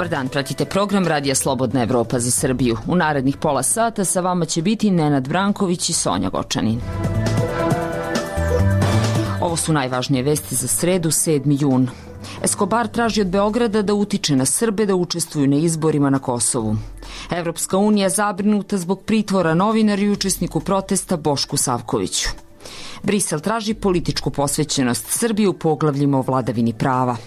Dobar dan, pratite program Radija Slobodna Evropa za Srbiju. U narednih pola sata sa vama će biti Nenad Branković i Sonja Gočanin. Ovo su najvažnije vesti za sredu, 7. jun. Escobar traži od Beograda da utiče na Srbe da učestvuju na izborima na Kosovu. Evropska unija zabrinuta zbog pritvora novinaru i učesniku protesta Bošku Savkoviću. Brisel traži političku posvećenost Srbije u poglavljima o vladavini prava.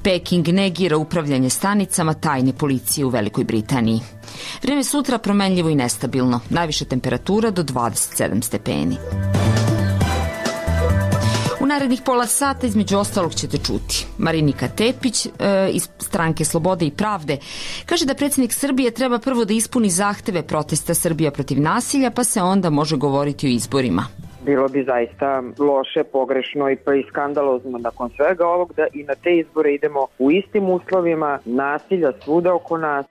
Peking negira upravljanje stanicama tajne policije u Velikoj Britaniji. Vreme sutra promenljivo i nestabilno, najviša temperatura do 27 stepeni. U narednih pola sata između ostalog ćete čuti. Marinika Tepić iz stranke Slobode i pravde kaže da predsjednik Srbije treba prvo da ispuni zahteve protesta Srbija protiv nasilja, pa se onda može govoriti o izborima. Bilo bi zaista loše, pogrešno i pa i skandalozno nakon svega ovog da i na te izbore idemo u istim uslovima, nasilja svuda oko nas.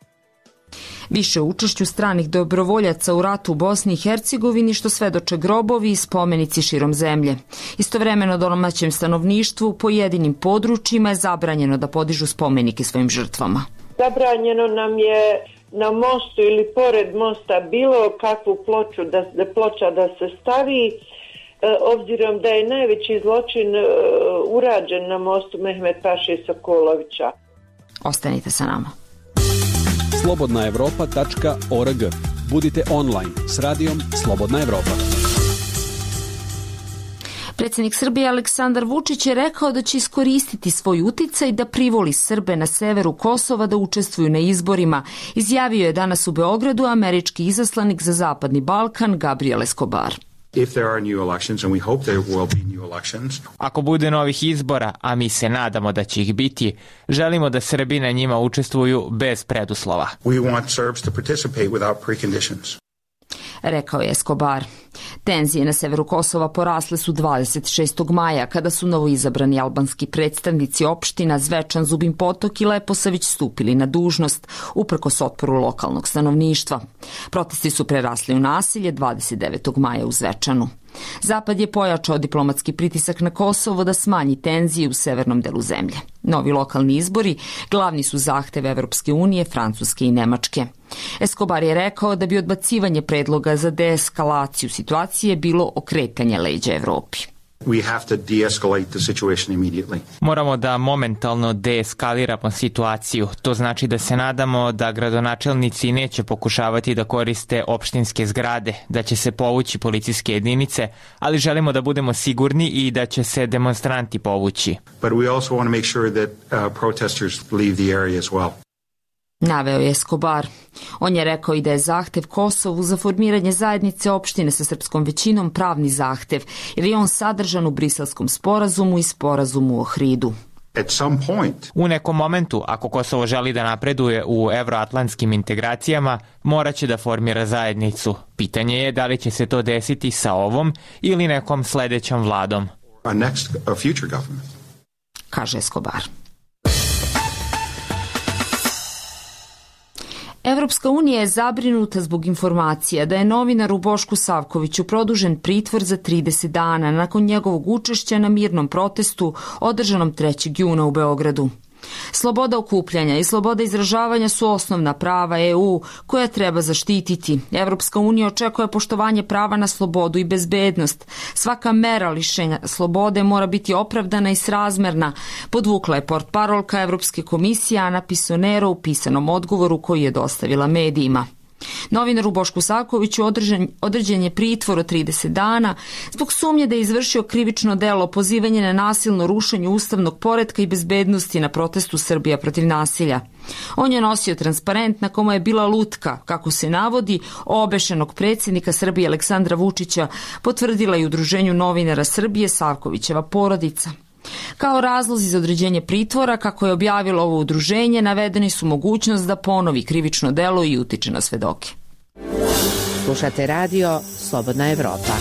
Više o učešću stranih dobrovoljaca u ratu u Bosni i Hercegovini što svedoče grobovi i spomenici širom zemlje. Istovremeno domaćem stanovništvu u pojedinim područjima je zabranjeno da podižu spomenike svojim žrtvama. Zabranjeno nam je na mostu ili pored mosta bilo kakvu ploča da se stavi, obzirom da je najveći zločin urađen na mostu Mehmet Paše Sokolovića. Ostanite sa nama. slobodnaevropa.org. Budite online s radijom Slobodna Evropa. Predsjednik Srbije Aleksandar Vučić je rekao da će iskoristiti svoj uticaj da privoli Srbe na severu Kosova da učestvuju na izborima. Izjavio je danas u Beogradu američki izaslanik za Zapadni Balkan Gabriel Escobar. Ako bude novih izbora, a mi se nadamo da će ih biti, želimo da Srbi na njima učestvuju bez preduslova. Rekao je Escobar. Tenzije na severu Kosova porasle su 26. maja, kada su novoizabrani albanski predstavnici opština Zvečan, Zubin Potok i Leposavić stupili na dužnost, uprkos otporu lokalnog stanovništva. Protesti su prerasli u nasilje 29. maja u Zvečanu. Zapad je pojačao diplomatski pritisak na Kosovo da smanji tenzije u severnom delu zemlje. Novi lokalni izbori glavni su zahtev Evropske unije, Francuske i Nemačke. Escobar je rekao da bi odbacivanje predloga za deeskalaciju situacije bilo okretanje leđa Evropi. Moramo da momentalno deeskaliramo situaciju. To znači da se nadamo da gradonačelnici neće pokušavati da koriste opštinske zgrade, da će se povući policijske jedinice, ali želimo da budemo sigurni i da će se demonstranti povući. Naveo je Escobar. On je rekao i da je zahtev Kosovu za formiranje zajednice opštine sa srpskom većinom pravni zahtev, jer je on sadržan u Briselskom sporazumu i sporazumu o Ohridu. U nekom momentu, ako Kosovo želi da napreduje u evroatlantskim integracijama, moraće da formira zajednicu. Pitanje je da li će se to desiti sa ovom ili nekom sledećom vladom. Kaže Escobar. Evropska unija je zabrinuta zbog informacija da je novinaru Bošku Savkoviću produžen pritvor za 30 dana nakon njegovog učešća na mirnom protestu održanom 3. juna u Beogradu. Sloboda okupljanja i sloboda izražavanja su osnovna prava EU koja treba zaštititi. Evropska unija očekuje poštovanje prava na slobodu i bezbednost. Svaka mera lišenja slobode mora biti opravdana i srazmerna, podvukla je portparolka Evropske komisije Ana Pisonero u pisanom odgovoru koji je dostavila medijima. Novinaru Bošku Savkoviću određen je pritvor od 30 dana zbog sumnje da je izvršio krivično delo pozivanje na nasilno rušenje ustavnog poretka i bezbednosti na protestu Srbija protiv nasilja. On je nosio transparent na kome je bila lutka, kako se navodi, obešenog predsjednika Srbije Aleksandra Vučića, potvrdila i Udruženju novinara Srbije Savkovićeva porodica. Kao razlozi za određenje pritvora, kako je objavilo ovo udruženje, navedeni su mogućnost da ponovi krivično delo i utiče na svedoke. Slušate radio Slobodna Evropa.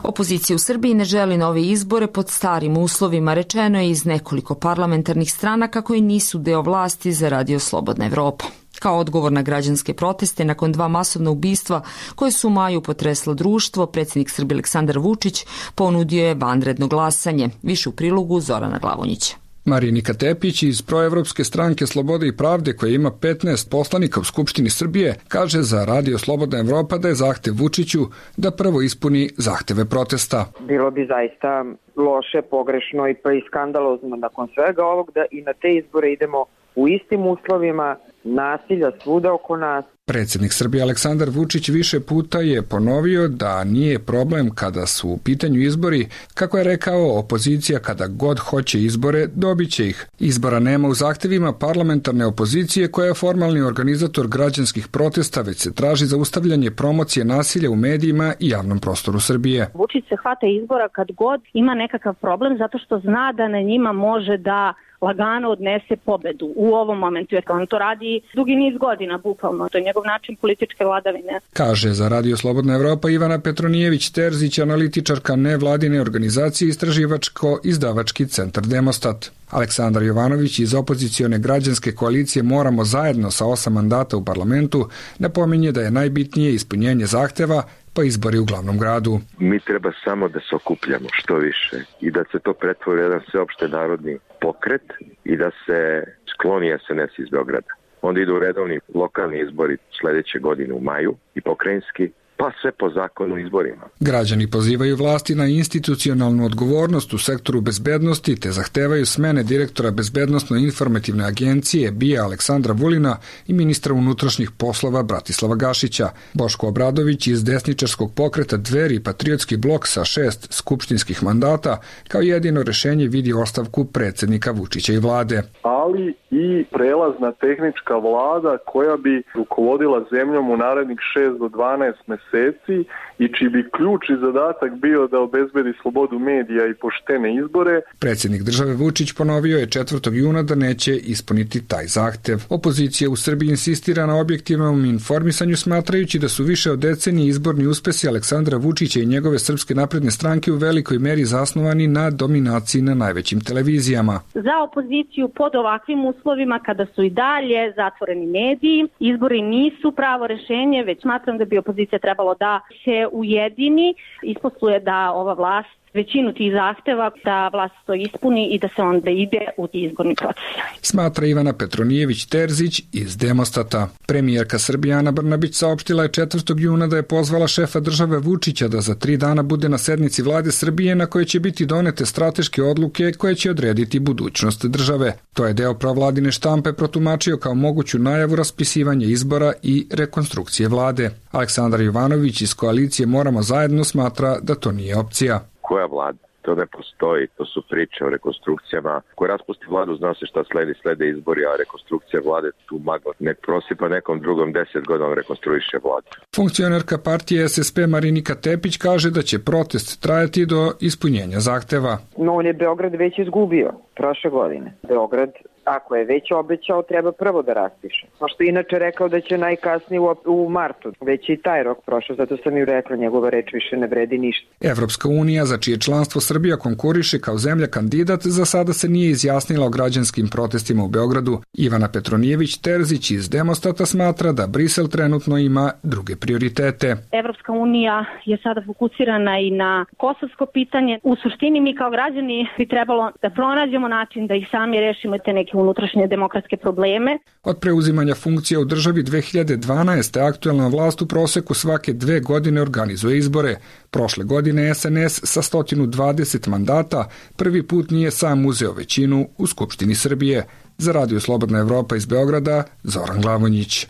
Opozicija u Srbiji ne želi nove izbore pod starim uslovima, rečeno je iz nekoliko parlamentarnih stranaka koji nisu deo vlasti za Radio Slobodna Evropa. Kao odgovor na građanske proteste nakon 2 masovna ubistva koje su u maju potreslo društvo, predsjednik Srbije Aleksandar Vučić ponudio je vanredno glasanje. Više u prilogu Zorana Glavonjića. Marinika Tepić iz proevropske stranke Slobode i pravde, koja ima 15 poslanika u Skupštini Srbije, kaže za Radio Slobodna Evropa da je zahtev Vučiću da prvo ispuni zahteve protesta. Bilo bi zaista loše, pogrešno i pa i skandalozno nakon svega ovog da i na te izbore idemo u istim uslovima, nasilja svuda oko nas. Predsjednik Srbije Aleksandar Vučić više puta je ponovio da nije problem kada su u pitanju izbori. Kako je rekao, opozicija kada god hoće izbore, dobit će ih. Izbora nema u zahtevima parlamentarne opozicije koja je formalni organizator građanskih protesta, već se traži zaustavljanje promocije nasilja u medijima i javnom prostoru Srbije. Vučić se hvata izbora kad god ima nekakav problem zato što zna da na njima može da lagano odnese pobedu u ovom momentu, jer on to radi dugi niz godina, bukvalno. To je njegov način političke vladavine. Kaže za Radio Slobodna Evropa Ivana Petronijević-Terzić, analitičarka nevladine organizacije Istraživačko-izdavački centar Demostat. Aleksandar Jovanović iz opozicione građanske koalicije Moramo zajedno sa 8 mandata u parlamentu napominje da je najbitnije ispunjenje zahteva pa izbori u glavnom gradu. Mi treba samo da se okupljamo što više i da se to pretvori jedan sveopšte narodni pokret i da se skloni SNS iz Beograda. Onda idu redovni lokalni izbori sledeće godine u maju i pokrajinski, pa sve po zakonu izborima. Građani pozivaju vlasti na institucionalnu odgovornost u sektoru bezbednosti te zahtevaju smene direktora Bezbednosno-informativne agencije BIA Aleksandra Vulina i ministra unutrašnjih poslova Bratislava Gašića. Boško Obradović iz desničarskog pokreta Dveri i Patriotski blok sa 6 skupštinskih mandata kao jedino rešenje vidi ostavku predsjednika Vučića i vlade. Ali i prelazna tehnička vlada koja bi rukovodila zemljom u narednih 6 do 12 meseci i čiji bi ključ i zadatak bio da obezbedi slobodu medija i poštene izbore. Predsjednik države Vučić ponovio je 4. juna da neće ispuniti taj zahtev. Opozicija u Srbiji insistira na objektivnom informisanju, smatrajući da su više od decenije izborni uspesi Aleksandra Vučića i njegove Srpske napredne stranke u velikoj meri zasnovani na dominaciji na najvećim televizijama. Za opoziciju pod ovakvim uslovima, kada su i dalje zatvoreni mediji, izbori nisu pravo rešenje, već smatram da bi opozicija trebalo da se ujedini, isposluje da ova vlast većinu tih zahteva, da vlast to ispuni i da se onda ide u izborni proces. Smatra Ivana Petronijević-Terzić iz Demostata. Premijerka Srbije Ana Brnabić saopštila je 4. juna da je pozvala šefa države Vučića da za 3 dana bude na sednici vlade Srbije na kojoj će biti donete strateške odluke koje će odrediti budućnost države. To je deo provladine štampe protumačio kao moguću najavu raspisivanja izbora i rekonstrukcije vlade. Aleksandar Jovanović iz koalicije Moramo zajedno smatra da to nije opcija. Koja vlada? To ne postoji, to su priče o rekonstrukcijama. Ko raspusti vladu, zna se šta slede izbori, a rekonstrukcija vlade tu magla. Nek prosipa nekom drugom 10 godina rekonstruiše vladu. Funkcionerka partije SSP Marinika Tepić kaže da će protest trajati do ispunjenja zahteva. No, on je Beograd već izgubio prošle godine. Beograd, ako je već obećao, treba prvo da raspiše. Pošto je inače rekao da će najkasnije u martu. Već i taj rok prošao, zato sam ju rekla, njegova reč više ne vredi ništa. Evropska unija, za čije članstvo Srbija konkuriše kao zemlja kandidat, za sada se nije izjasnila o građanskim protestima u Beogradu. Ivana Petronijević-Terzić iz Demostata smatra da Brisel trenutno ima druge prioritete. Evropska unija je sada fokusirana i na kosovsko pitanje. U suštini mi kao građani bi trebalo da pronađemo način da ih sami rešimo te neke unutrašnje demokratske probleme. Od preuzimanja funkcija u državi 2012. aktuelna vlast u proseku svake 2 godine organizuje izbore. Prošle godine SNS sa 120 mandata prvi put nije sam uzeo većinu u Skupštini Srbije. Za Radio Slobodna Evropa iz Beograda, Zoran Glavonjić.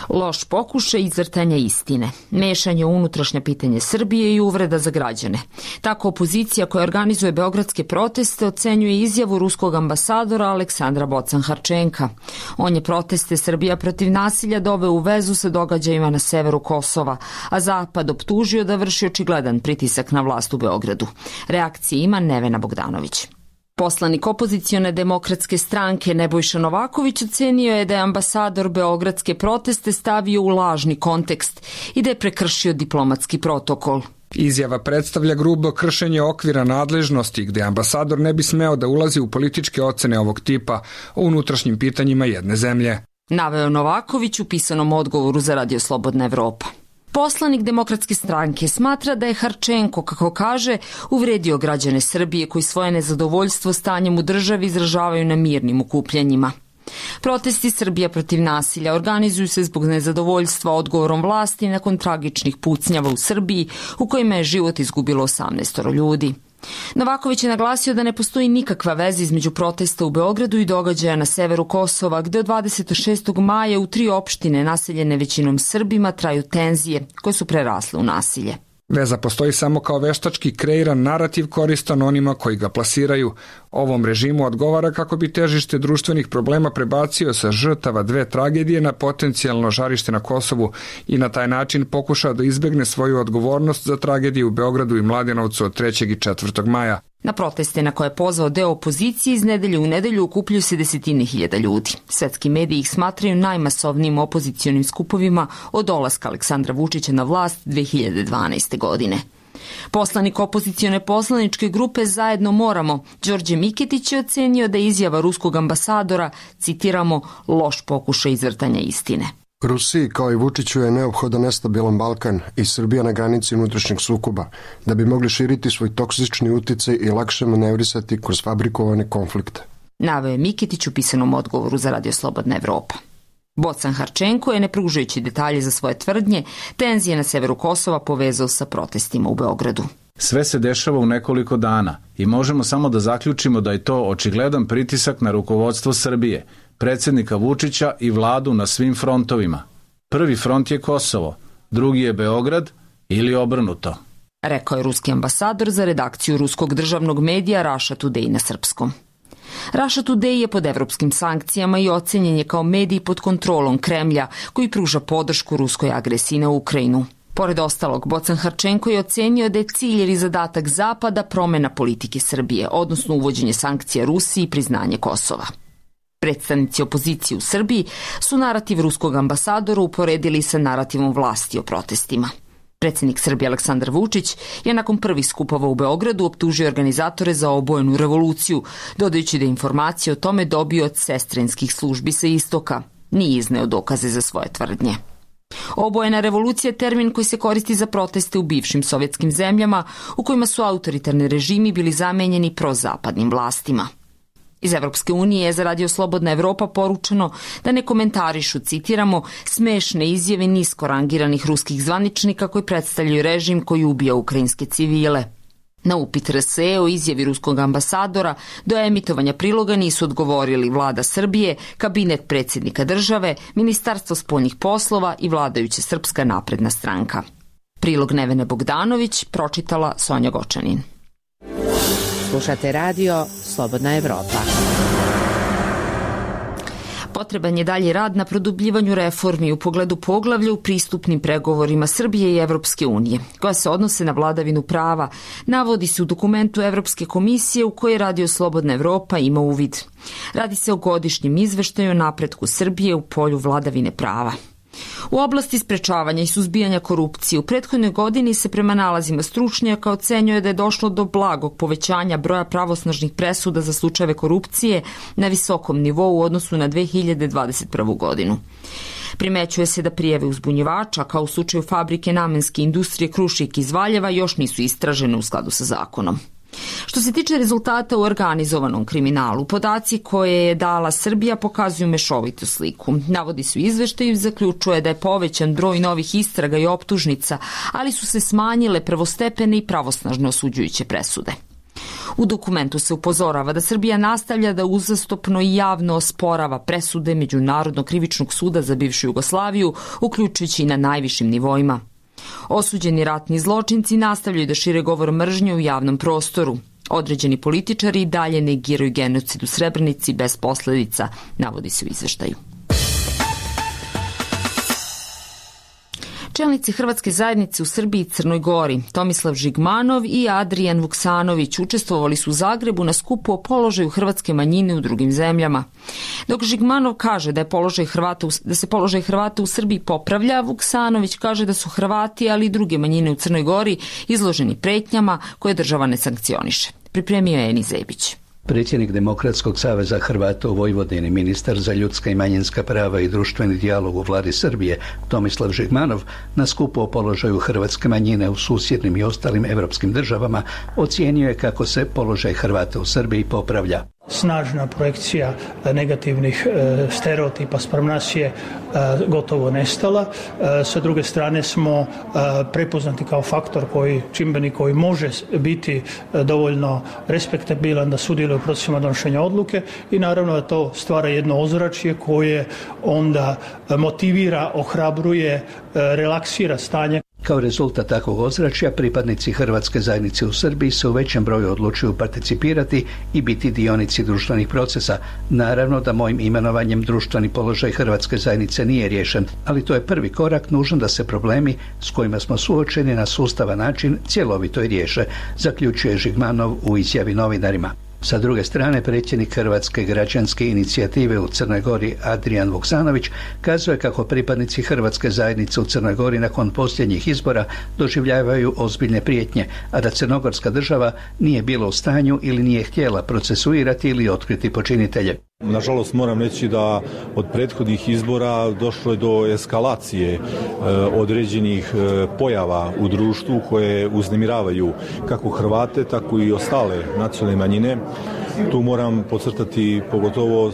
Loš pokušaj izvrtanja istine, mešanje u unutrašnja pitanje Srbije i uvreda za građane. Tako opozicija koja organizuje beogradske proteste ocenjuje izjavu ruskog ambasadora Aleksandra Bocan-Harčenka. On je proteste Srbija protiv nasilja doveo u vezu sa događajima na severu Kosova, a Zapad optužio da vrši očigledan pritisak na vlast u Beogradu. Reakcije ima Nevena Bogdanović. Poslanik opozicione demokratske stranke Nebojša Novaković ocenio je da je ambasador beogradske proteste stavio u lažni kontekst i da je prekršio diplomatski protokol. Izjava predstavlja grubo kršenje okvira nadležnosti gde ambasador ne bi smeo da ulazi u političke ocene ovog tipa o unutrašnjim pitanjima jedne zemlje. Naveo Novaković u pisanom odgovoru za Radio Slobodna Evropa. Poslanik Demokratske stranke smatra da je Harčenko, kako kaže, uvredio građane Srbije koji svoje nezadovoljstvo stanjem u državi izražavaju na mirnim okupljanjima. Protesti Srbija protiv nasilja organizuju se zbog nezadovoljstva odgovorom vlasti nakon tragičnih pucnjava u Srbiji u kojima je život izgubilo 18 ljudi. Novaković je naglasio da ne postoji nikakva veza između protesta u Beogradu i događaja na severu Kosova, gde od 26. maja u 3 opštine naseljene većinom Srbima traju tenzije koje su prerasle u nasilje. Veza postoji samo kao veštački kreiran narativ koristan onima koji ga plasiraju. Ovom režimu odgovara kako bi težište društvenih problema prebacio sa žrtava 2 tragedije na potencijalno žarište na Kosovu i na taj način pokušao da izbegne svoju odgovornost za tragediju u Beogradu i Mladenovcu od 3. i 4. maja. Na proteste na koje je pozvao deo opozicije iz nedelje u nedelju okupljaju se desetine hiljada ljudi. Svetski mediji ih smatraju najmasovnijim opozicionim skupovima od dolaska Aleksandra Vučića na vlast 2012. godine. Poslanik opozicione poslaničke grupe Zajedno moramo, Đorđe Miketić, je ocenio da je izjava ruskog ambasadora, citiramo, loš pokušaj izvrtanja istine. Rusiji kao i Vučiću je neophodan nestabilan Balkan i Srbija na granici unutrašnjeg sukoba, da bi mogli širiti svoj toksični uticaj i lakše manevrisati kroz fabrikovane konflikte. Naveo je Miketić u pisanom odgovoru za Radio Slobodna Evropa. Bocan Harčenko je, ne pružajući detalje za svoje tvrdnje, tenzije na severu Kosova povezao sa protestima u Beogradu. Sve se dešava u nekoliko dana i možemo samo da zaključimo da je to očigledan pritisak na rukovodstvo Srbije, predsjednika Vučića i vladu na svim frontovima. Prvi front je Kosovo, drugi je Beograd ili obrnuto. Rekao je ruski ambasador za redakciju ruskog državnog medija Russia Today na srpskom. Russia Today je pod evropskim sankcijama i ocenjen je kao medij pod kontrolom Kremlja koji pruža podršku ruskoj agresiji na Ukrajinu. Pored ostalog, Bocan Harčenko je ocenio da je cilj ili zadatak Zapada promena politike Srbije, odnosno uvođenje sankcija Rusiji i priznanje Kosova. Predstavnici opozicije u Srbiji su narativ ruskog ambasadora uporedili sa narativom vlasti o protestima. Predsjednik Srbije Aleksandar Vučić je nakon prvih skupova u Beogradu optužio organizatore za obojenu revoluciju, dodajući da informacije o tome dobio od sestrinskih službi sa istoka. Nije izneo dokaze za svoje tvrdnje. Obojena revolucija je termin koji se koristi za proteste u bivšim sovjetskim zemljama u kojima su autoritarni režimi bili zamenjeni prozapadnim vlastima. Iz Evropske unije je za Radio Slobodna Evropa poručeno da ne komentarišu, citiramo, smešne izjave nisko rangiranih ruskih zvaničnika koji predstavljaju režim koji ubija ukrajinske civile. Na upit RSE o izjavi ruskog ambasadora do emitovanja priloga nisu odgovorili vlada Srbije, kabinet predsjednika države, Ministarstvo spoljnih poslova i vladajuća Srpska napredna stranka. Prilog Nevene Bogdanović pročitala Sonja Gočanin. Slušate radio Slobodna Evropa. Potreban je dalji rad na produbljivanju reformi u pogledu poglavlja u pristupnim pregovorima Srbije i Evropske unije, koja se odnose na vladavinu prava, navodi se u dokumentu Evropske komisije u kojoj Radio Slobodna Evropa ima uvid. Radi se o godišnjem izveštaju o napretku Srbije u polju vladavine prava. U oblasti sprečavanja i suzbijanja korupcije u prethodnoj godini se prema nalazima stručnjaka ocenjuje da je došlo do blagog povećanja broja pravosnažnih presuda za slučajeve korupcije na visokom nivou u odnosu na 2021. godinu. Primećuje se da prijave uzbunjivača, kao u slučaju fabrike namenske industrije Krušik iz Valjeva, još nisu istražene u skladu sa zakonom. Što se tiče rezultata u organizovanom kriminalu, podaci koje je dala Srbija pokazuju mešovitu sliku. Navodi su izveštaju i zaključuje da je povećan broj novih istraga i optužnica, ali su se smanjile prvostepene i pravosnažno osuđujuće presude. U dokumentu se upozorava da Srbija nastavlja da uzastopno i javno osporava presude Međunarodnog krivičnog suda za bivšu Jugoslaviju, uključujući i na najvišim nivoima. Osuđeni ratni zločinci nastavljaju da šire govor mržnje u javnom prostoru. Određeni političari i dalje negiraju genocid u Srebrenici bez posledica, navodi se u izveštaju. Čelnici Hrvatske zajednice u Srbiji i Crnoj Gori, Tomislav Žigmanov i Adrijan Vuksanović, učestvovali su u Zagrebu na skupu o položaju hrvatske manjine u drugim zemljama. Dok Žigmanov kaže da se položaj Hrvata u Srbiji popravlja, Vuksanović kaže da su Hrvati, ali i druge manjine u Crnoj Gori izloženi pretnjama koje država ne sankcioniše. Pripremio je Eni Zebić. Predsjednik Demokratskog saveza Hrvata u Vojvodini, ministar za ljudska i manjinska prava i društveni dijalog u vladi Srbije, Tomislav Žigmanov, na skupu o položaju hrvatske manjine u susjednim i ostalim evropskim državama, ocijenio je kako se položaj Hrvata u Srbiji popravlja. Snažna projekcija negativnih stereotipa spram nas je gotovo nestala. Sa druge strane smo prepoznati kao faktor čimbenik koji može biti dovoljno respektabilan da sudjeluje u procesima donošenja odluke i naravno da to stvara jedno ozračje koje onda motivira, ohrabruje, relaksira stanje. Kao rezultat takvog ozračja, pripadnici hrvatske zajednice u Srbiji se u većem broju odlučuju participirati i biti dionici društvenih procesa. Naravno da mojim imenovanjem društveni položaj hrvatske zajednice nije riješen, ali to je prvi korak nužan da se problemi s kojima smo suočeni na sustavan način cjelovito i riješe, zaključuje Žigmanov u izjavi novinarima. Sa druge strane, predsjednik Hrvatske građanske inicijative u Crnoj Gori Adrijan Vuksanović kazuje kako pripadnici hrvatske zajednice u Crnoj Gori nakon posljednjih izbora doživljavaju ozbiljne prijetnje, a da crnogorska država nije bila u stanju ili nije htjela procesuirati ili otkriti počinitelje. Nažalost moram reći da od prethodnih izbora došlo je do eskalacije određenih pojava u društvu koje uznemiravaju kako Hrvate, tako i ostale nacionalne manjine. Tu moram podcrtati pogotovo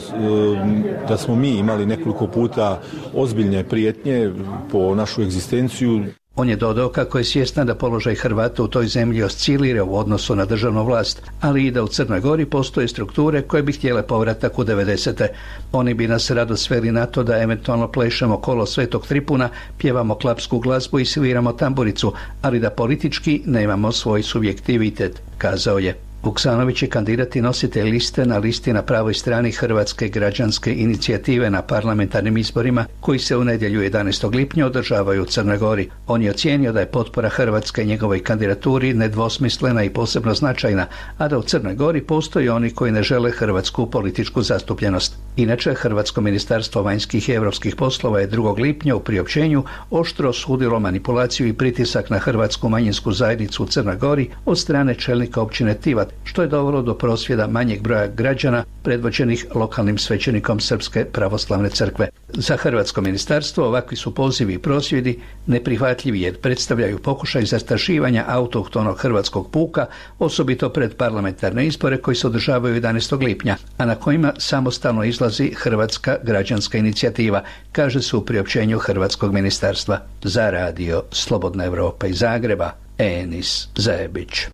da smo mi imali nekoliko puta ozbiljne prijetnje po našu egzistenciju. On je dodao kako je svjestan da položaj Hrvata u toj zemlji oscilira u odnosu na državnu vlast, ali i da u Crnoj Gori postoje strukture koje bi htjele povratak u 90. Oni bi nas rado sveli na to da eventualno plešemo kolo Svetog Tripuna, pjevamo klapsku glazbu i sviramo tamburicu, ali da politički nemamo svoj subjektivitet, kazao je. Vuksanović je kandidat i nositelj liste na listi na pravoj strani Hrvatske građanske inicijative na parlamentarnim izborima koji se u nedjelju 11. lipnja održavaju u Crnoj Gori. On je ocijenio da je potpora Hrvatske njegovoj kandidaturi nedvosmislena i posebno značajna, a da u Crnoj Gori postoji oni koji ne žele hrvatsku političku zastupljenost. Inače, Hrvatsko ministarstvo vanjskih i europskih poslova je 2. lipnja u priopćenju oštro osudilo manipulaciju i pritisak na hrvatsku manjinsku zajednicu u Crnoj Gori od strane čelnika općine Tivat, što je dovelo do prosvjeda manjeg broja građana predvođenih lokalnim svećenikom Srpske pravoslavne crkve. Za Hrvatsko ministarstvo ovakvi su pozivi i prosvjedi neprihvatljivi jer predstavljaju pokušaj zastrašivanja autohtonog hrvatskog puka, osobito pred parlamentarne izbore koji se održavaju 11. lipnja, a na kojima samostalno izlazi Hrvatska građanska inicijativa, kaže se u priopćenju Hrvatskog ministarstva. Za radio Slobodna Evropa iz Zagreba, Enis Zajebić.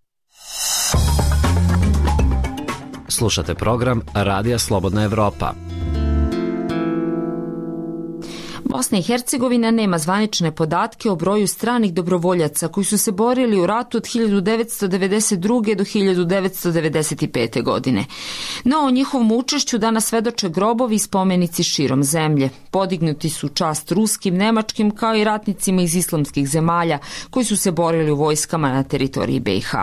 Slušate program Radija Slobodna Evropa. Bosna i Hercegovina nema zvanične podatke o broju stranih dobrovoljaca koji su se borili u ratu od 1992. do 1995. godine. No o njihovom učešću danas svedoče grobovi i spomenici širom zemlje. Podignuti su čast ruskim, nemačkim kao i ratnicima iz islamskih zemalja koji su se borili u vojskama na teritoriji BiH.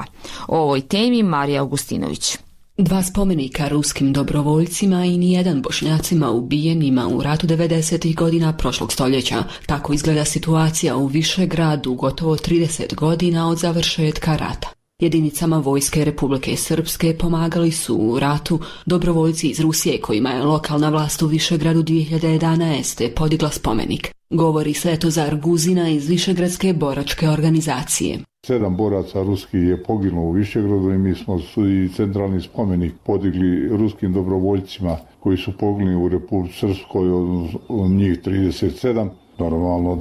O ovoj temi Marija Augustinović. 2 spomenika ruskim dobrovoljcima i nijedan Bošnjacima ubijenima u ratu 90. godina prošlog stoljeća. Tako izgleda situacija u Višegradu gotovo 30 godina od završetka rata. Jedinicama vojske Republike Srpske pomagali su u ratu dobrovoljci iz Rusije kojima je lokalna vlast u Višegradu 2011. podigla spomenik. Govori Svetozar Guzina iz Višegradske boračke organizacije. 7 boraca ruskih je poginulo u Višegradu i mi smo i centralni spomenik podigli ruskim dobrovoljcima koji su poginuli u Republici Srpskoj, od njih 37. Normalno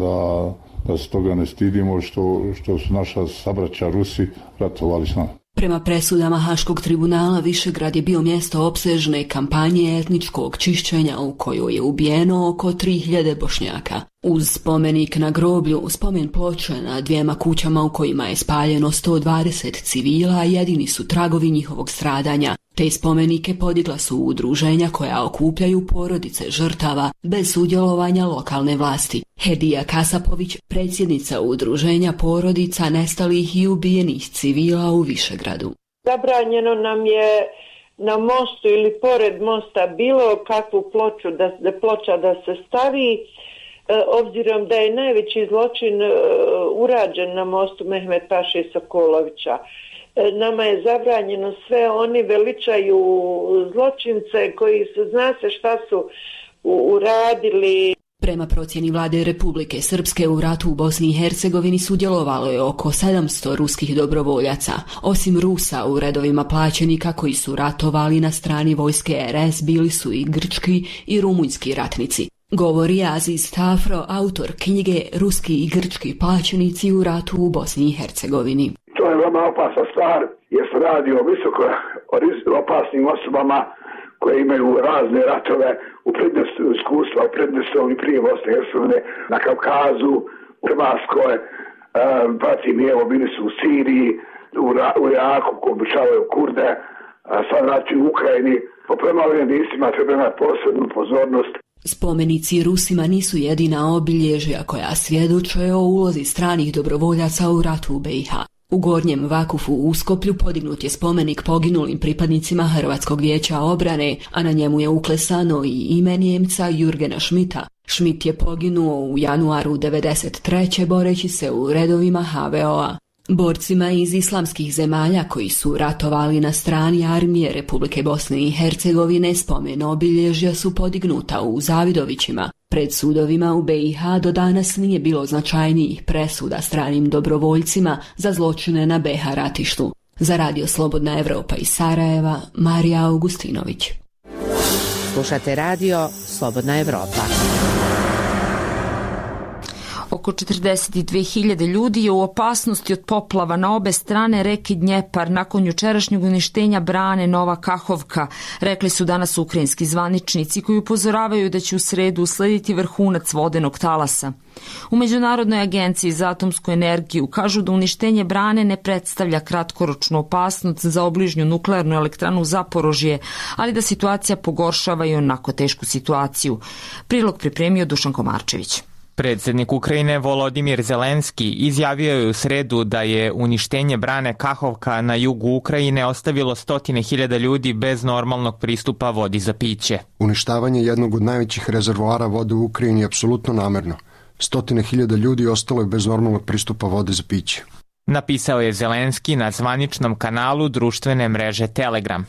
da se toga ne stidimo što su naša sabraća Rusi ratovali s nama. Prema presudama Haškog tribunala, Višegrad je bio mjesto opsežne kampanje etničkog čišćenja u kojoj je ubijeno oko 3000 Bošnjaka. Uz spomenik na groblju, spomen ploče na 2 kućama u kojima je spaljeno 120 civila jedini su tragovi njihovog stradanja. Te spomenike podigla su udruženja koja okupljaju porodice žrtava bez sudjelovanja lokalne vlasti. Hedija Kasapović, predsjednica udruženja porodica nestalih i ubijenih civila u Višegradu. Zabranjeno nam je na mostu ili pored mosta bilo kakvu ploča da se stavi, obzirom da je najveći zločin urađen na mostu Mehmet Paše Sokolovića. Nama je zabranjeno sve, oni veličaju zločince koji su, zna se šta su uradili. Prema procjeni vlade Republike Srpske u ratu u Bosni i Hercegovini sudjelovalo je oko 700 ruskih dobrovoljaca. Osim Rusa u redovima plaćenika koji su ratovali na strani vojske RS bili su i grčki i rumunjski ratnici. Govori Aziz Tafro, autor knjige Ruski i grčki plaćenici u ratu u Bosni i Hercegovini. To je veoma opasna stvar jer se radi o visoko opasnim osobama koje imaju razne ratove u prednjestvu iskustva, u prednjestvu i prije Bosne i Hercegovine, na Kavkazu, u Hrvatskoj, pratim i evo bili su u Siriji, u Iraku, ko obučavaju Kurde, sad znači u Ukrajini. Po prema ovim jedinsttima treba imati posebnu pozornost. Spomenici Rusima nisu jedina obilježja koja svjedoče o ulozi stranih dobrovoljaca u ratu u BiH. U Gornjem Vakufu u Uskoplju podignut je spomenik poginulim pripadnicima Hrvatskog vijeća obrane, a na njemu je uklesano i ime Njemca Jurgena Schmidta. Schmidt je poginuo u januaru 1993. boreći se u redovima HVO-a. Borcima iz islamskih zemalja koji su ratovali na strani armije Republike Bosne i Hercegovine spomen obilježja su podignuta u Zavidovićima. Pred sudovima u BiH do danas nije bilo značajnijih presuda stranim dobrovoljcima za zločine na BiH ratištu. Za Radio Slobodna Evropa iz Sarajeva, Marija Augustinović. Slušate Radio Slobodna Evropa. Oko 42.000 ljudi je u opasnosti od poplava na obe strane reke Dnjepar nakon jučerašnjeg uništenja brane Nova Kahovka, rekli su danas ukrajinski zvaničnici koji upozoravaju da će u sredu uslediti vrhunac vodenog talasa. U Međunarodnoj agenciji za atomsku energiju kažu da uništenje brane ne predstavlja kratkoročnu opasnost za obližnju nuklearnu elektranu Zaporožje, ali da situacija pogoršava i onako tešku situaciju. Prilog pripremio Dušan Komarčević. Predsjednik Ukrajine Volodimir Zelenski izjavio je u sredu da je uništenje brane Kahovka na jugu Ukrajine ostavilo 100.000 ljudi bez normalnog pristupa vodi za piće. Uništavanje jednog od najvećih rezervoara vode u Ukrajini je apsolutno namerno. 100.000 ljudi ostalo je bez normalnog pristupa vode za piće. Napisao je Zelenski na zvaničnom kanalu društvene mreže Telegram.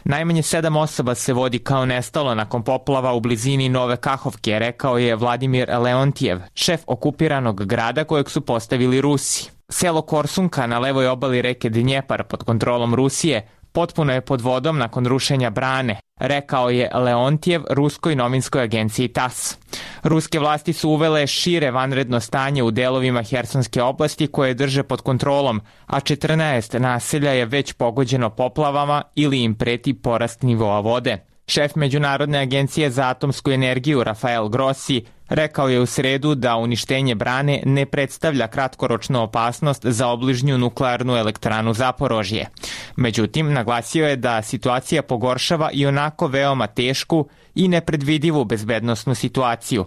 Najmanje 7 osoba se vodi kao nestalo nakon poplava u blizini Nove Kahovke, rekao je Vladimir Leontijev, šef okupiranog grada kojeg su postavili Rusi. Selo Korsunka na levoj obali reke Dnjepar pod kontrolom Rusije potpuno je pod vodom nakon rušenja brane, rekao je Leontijev ruskoj novinskoj agenciji TASS. Ruske vlasti su uvele šire vanredno stanje u delovima Hersonske oblasti koje drže pod kontrolom, a 14 naselja je već pogođeno poplavama ili im preti porast nivoa vode. Šef Međunarodne agencije za atomsku energiju Rafael Grossi rekao je u sredu da uništenje brane ne predstavlja kratkoročnu opasnost za obližnju nuklearnu elektranu Zaporožje. Međutim, naglasio je da situacija pogoršava i onako veoma tešku i nepredvidivu bezbednosnu situaciju.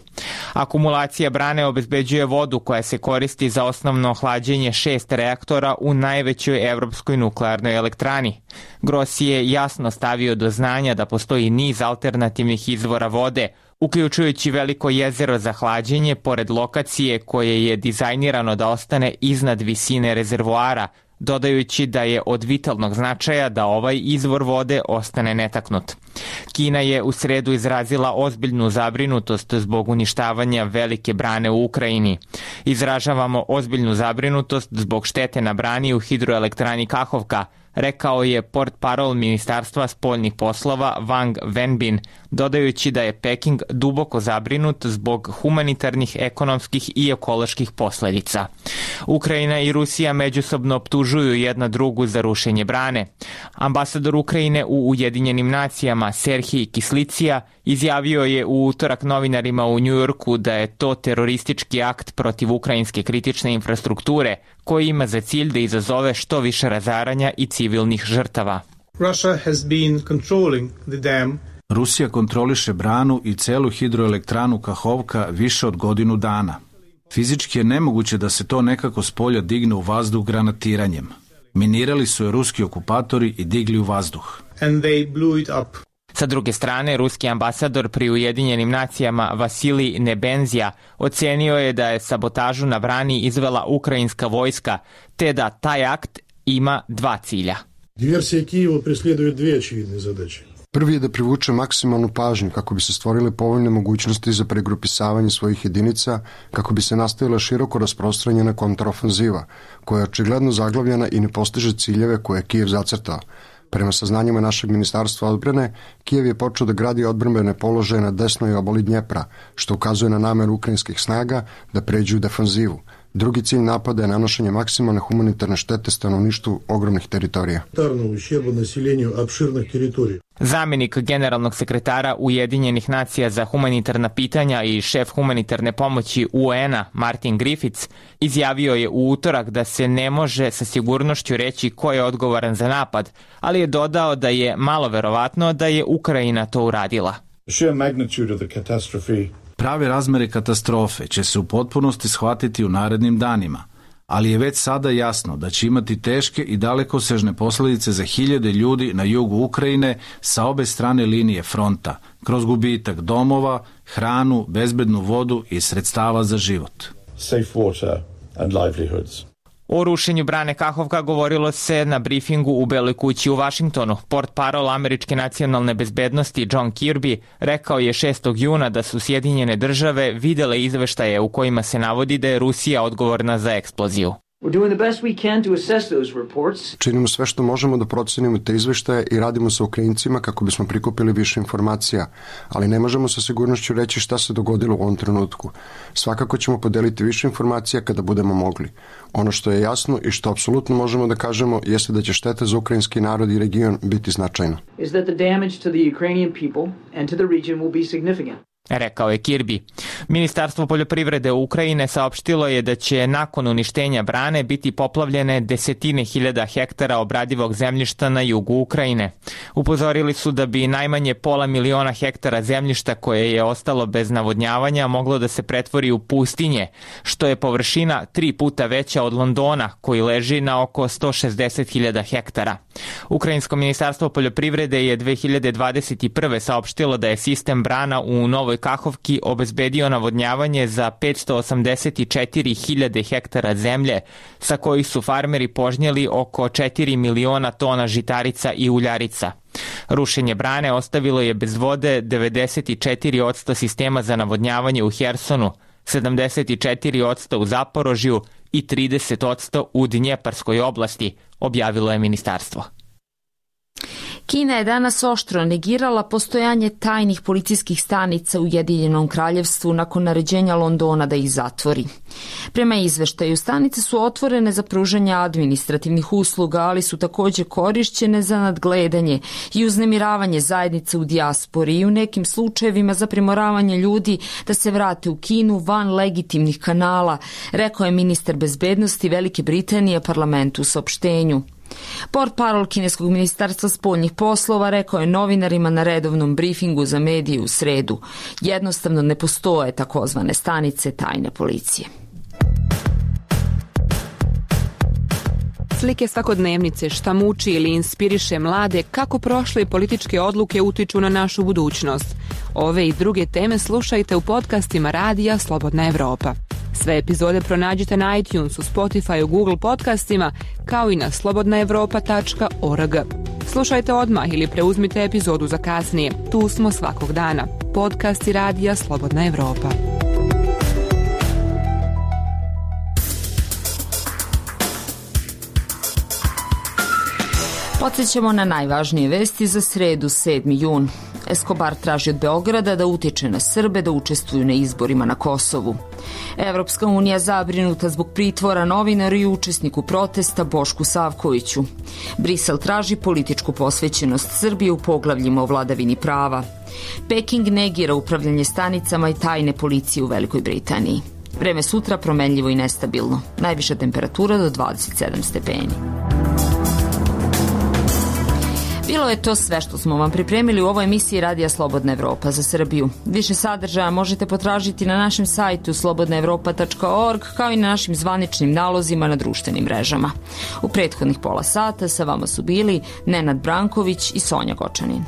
Akumulacija brane obezbeđuje vodu koja se koristi za osnovno hlađenje 6 reaktora u najvećoj evropskoj nuklearnoj elektrani. Grossi je jasno stavio do znanja da postoji niz alternativnih izvora vode, uključujući veliko jezero za hlađenje pored lokacije koje je dizajnirano da ostane iznad visine rezervoara, dodajući da je od vitalnog značaja da ovaj izvor vode ostane netaknut. Kina je u sredu izrazila ozbiljnu zabrinutost zbog uništavanja velike brane u Ukrajini. Izražavamo ozbiljnu zabrinutost zbog štete na brani u hidroelektrani Kahovka, rekao je portparol Ministarstva spoljnih poslova Wang Wenbin, dodajući da je Peking duboko zabrinut zbog humanitarnih, ekonomskih i ekoloških posledica. Ukrajina i Rusija međusobno optužuju jedna drugu za rušenje brane. Ambasador Ukrajine u Ujedinjenim nacijama Serhij Kislicija izjavio je u utorak novinarima u Njujorku da je to teroristički akt protiv ukrajinske kritične infrastrukture koji ima za cilj da izazove što više razaranja i civilnih žrtava. Rusija kontroliše branu i celu hidroelektranu Kahovka više od godinu dana. Fizički je nemoguće da se to nekako s polja digne u vazduh granatiranjem. Minirali su je ruski okupatori i digli u vazduh. Sa druge strane, ruski ambasador pri Ujedinjenim nacijama Vasilij Nebenzija ocenio je da je sabotažu na brani izvela ukrajinska vojska, te da taj akt ima dva cilja. Диверсия Киева преследует две очевидные задачи. Prvi je da privuče maksimalnu pažnju kako bi se stvorile povoljne mogućnosti za pregrupisavanje svojih jedinica, kako bi se nastavila široko rasprostranjena kontraofanziva, koja je očigledno zaglavljena i ne postiže ciljeve koje je Kijev zacrtao. Prema saznanjima našeg ministarstva odbrane, Kijev je počeo da gradi odbrambene položaje na desnoj obali Dnjepra, što ukazuje na nameru ukrajinskih snaga da pređu u defanzivu. Drugi cilj napada je nanošenje maksimalne humanitarne štete stanovništvu ogromnih teritorija. Zamenik generalnog sekretara Ujedinjenih nacija za humanitarna pitanja i šef humanitarne pomoći UN-a Martin Griffiths izjavio je u utorak da se ne može sa sigurnošću reći ko je odgovoran za napad, ali je dodao da je malo verovatno da je Ukrajina to uradila. Prave razmere katastrofe će se u potpunosti shvatiti u narednim danima, ali je već sada jasno da će imati teške i dalekosežne posljedice za hiljade ljudi na jugu Ukrajine sa obe strane linije fronta, kroz gubitak domova, hranu, bezbednu vodu i sredstava za život. Safe water and livelihoods. O rušenju brane Kahovka govorilo se na brifingu u Beloj kući u Vašingtonu. Portparol američke nacionalne bezbednosti John Kirby rekao je 6. juna da su Sjedinjene države videle izveštaje u kojima se navodi da je Rusija odgovorna za eksploziju. Činimo sve što možemo da procenimo te izveštaje i radimo sa Ukrajincima kako bismo prikupili više informacija, ali ne možemo sa sigurnošću reći šta se dogodilo u ovom trenutku. Svakako ćemo podeliti više informacija kada budemo mogli. Ono što je jasno i što apsolutno možemo da kažemo jeste da će šteta za ukrajinski narod i region biti značajna. Rekao je Kirby. Ministarstvo poljoprivrede Ukrajine saopštilo je da će nakon uništenja brane biti poplavljene desetine hiljada hektara obradivog zemljišta na jugu Ukrajine. Upozorili su da bi najmanje 500.000 hektara zemljišta koje je ostalo bez navodnjavanja moglo da se pretvori u pustinje, što je površina 3 puta veća od Londona, koji leži na oko 160.000 hektara. Ukrajinsko ministarstvo poljoprivrede je 2021. saopštilo da je sistem brana u Novoj Kahovki obezbedio navodnjavanje za 584.000 hektara zemlje, sa kojih su farmeri požnjeli oko 4 miliona tona žitarica i uljarica. Rušenje brane ostavilo je bez vode 94% sistema za navodnjavanje u Hersonu, 74% u Zaporožju i 30% u Dnjeparskoj oblasti, objavilo je ministarstvo. Kina je danas oštro negirala postojanje tajnih policijskih stanica u Ujedinjenom kraljevstvu nakon naređenja Londona da ih zatvori. Prema izveštaju, stanice su otvorene za pružanje administrativnih usluga, ali su također korišćene za nadgledanje i uznemiravanje zajednice u dijaspori i u nekim slučajevima za primoravanje ljudi da se vrate u Kinu van legitimnih kanala, rekao je ministar bezbednosti Velike Britanije parlamentu u saopštenju. Portparol kineskog ministarstva spoljnih poslova rekao je novinarima na redovnom brifingu za medije u sredu. Jednostavno ne postoje takozvane stanice tajne policije. Slike svakodnevnice, šta muči ili inspiriše mlade, kako prošle političke odluke utiču na našu budućnost. Ove i druge teme slušajte u podcastima Radija Slobodna Evropa. Sve epizode pronađite na iTunesu, Spotify, Google podcastima, kao i na slobodnaevropa.org. Slušajte odmah ili preuzmite epizodu za kasnije. Tu smo svakog dana. Podcasti Radija Slobodna Evropa. Podsjećamo na najvažnije vesti za sredu 7. jun. Escobar traži od Beograda da utiče na Srbe da učestvuju na izborima na Kosovu. Evropska unija zabrinuta zbog pritvora novinaru i učesniku protesta Bošku Savkoviću. Brisel traži političku posvećenost Srbije u poglavljima o vladavini prava. Peking negira upravljanje stanicama i tajne policije u Velikoj Britaniji. Vreme sutra promenljivo i nestabilno. Najviša temperatura do 27 stepeni. Bilo je to sve što smo vam pripremili u ovoj emisiji Radija Slobodna Evropa za Srbiju. Više sadržaja možete potražiti na našem sajtu slobodnaevropa.org, kao i na našim zvaničnim nalozima na društvenim mrežama. U prethodnih pola sata sa vama su bili Nenad Branković i Sonja Gočanin.